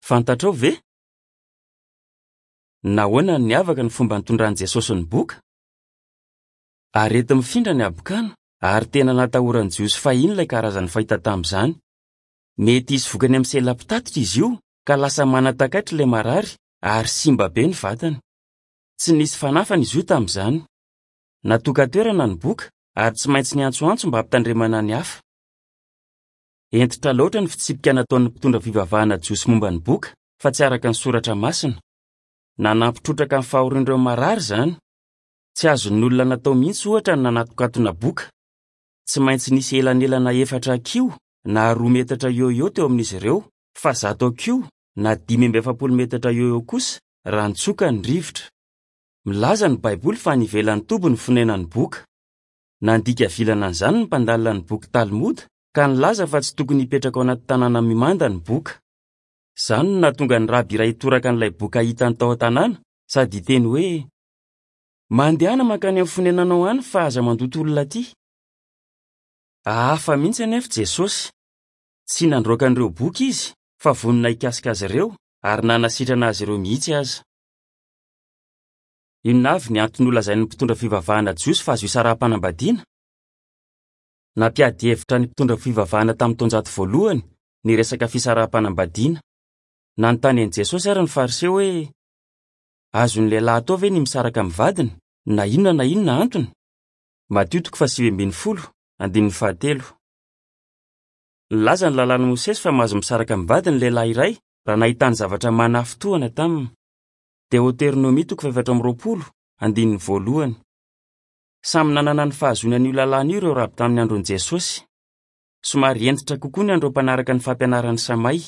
Fantatrao ve? Nahoana no niavaka ny fomba nitondran'i Jesosy ny boka? Areti-mifindra ny habokana, ary tena natahoran'ny Jiosy fahiny ilay karazany fahita tamin'izany. Mety hisy vokany amin'ny sela mpitatitra izy io, ka lasa manan-takaitra ilay marary ary simba be ny vatany. Tsy nisy fanafany izy io tamin'izany. Natokan-toerana ny boka ary tsy maintsy niantsoantso mba hampitandremana ny hafa. Hentitra loatra ny fitsipika nataon'ny mpitondra fivavahana jiosy momba ny boka, fa tsy araka ny Soratra Masina. Nanampy trotraka ny fahorian'ireo marary izany. Tsy azon'ny olona natao mihitsy, ohatra, ny nanatokatona boka. Tsy maintsy nisy elanelana efatra hakiho na roa metatra eo ho eo teo amin'izy ireo, fa zato hakiho na 45 metatra eo ho eo kosa raha nitsoka ny rivotra. Milaza ny Baiboly fa any ivelan'ny toby ny fonenan'ny boka. Nandika vilana an'izany ny mpandalina ny boky Talmud, ka nilaza fa tsy tokony hipetraka ao anaty tanàna mimanda ny boka. Izany no nahatonga ny raby iray hitoraka an'ilay boka hitany tao an-tanàna, sady hiteny hoe, Mandehana mankany amin'ny fonenanao any fa aza mandoto olona aty. Hafa mihitsy anefa Jesosy. Tsy nandroaka an'ireo boka izy, fa vonona hikasika azy ireo ary nanasitrana azy ireo mihitsy aza. Inona avy ny antony nolazain'ny mpitondra fivavahana jiosy fa azo isaraham-panambadiana? Nampiady hevitra ny mpitondra fivavahana tamin'ny taonjato voalohany ny resaka fisaraham-panambadiana. Nanontany an'i Jesosy àry ny Fariseo hoe, Azon'ny lehilahy atao ve ny misaraka amin'ny vadiny, na inona na inona antony? Matio toko faha-19, andininy fahatelo. Nilaza ny Lalàn'i Mosesy fa mahazo misaraka amin'ny vadiny ny lehilahy iray raha nahitany zavatra manafintohina taminy. Deoteronomia toko faha-24, andininy voalohany. Samy nanana ny fahazoany an'io lalàna io ireo raby tamin'ny andron'i Jesosy. Somary hentitra kokoa ny an'ireo mpanaraka ny fampianaran'i Samay.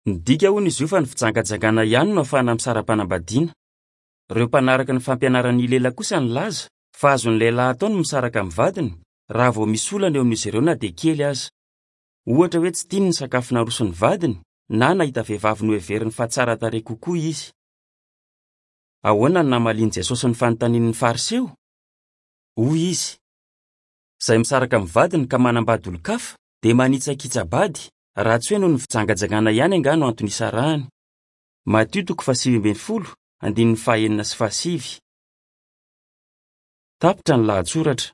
Midika, hono, izy io fa ny fijangajangana ihany no ahafahana misara-panambadiana. Ireo mpanaraka ny fampianaran'i Hilela kosa nilaza fa azon'ny lehilahy atao ny misaraka amin'ny vadiny raha vao misy olana eo amin'izy ireo na dia kely aza. Ohatra hoe tsy tiany ny sakafo naroson'ny vadiny na nahita vehivavy noheveriny fa tsara tarehy kokoa izy. Ahoana no namalian'i Jesosy ny fanontanian'ny Fariseo? Hoy izy, Izay misaraka amin'ny vadiny ka manambady olon-kafa dia manitsakitsa-bady, raha tsy hoe noho ny fijangajangana ihany angaha no antony isarahany. Matio toko faha-19, andininy faha-6 sy faha-9. Tapitra ny lahatsoratra.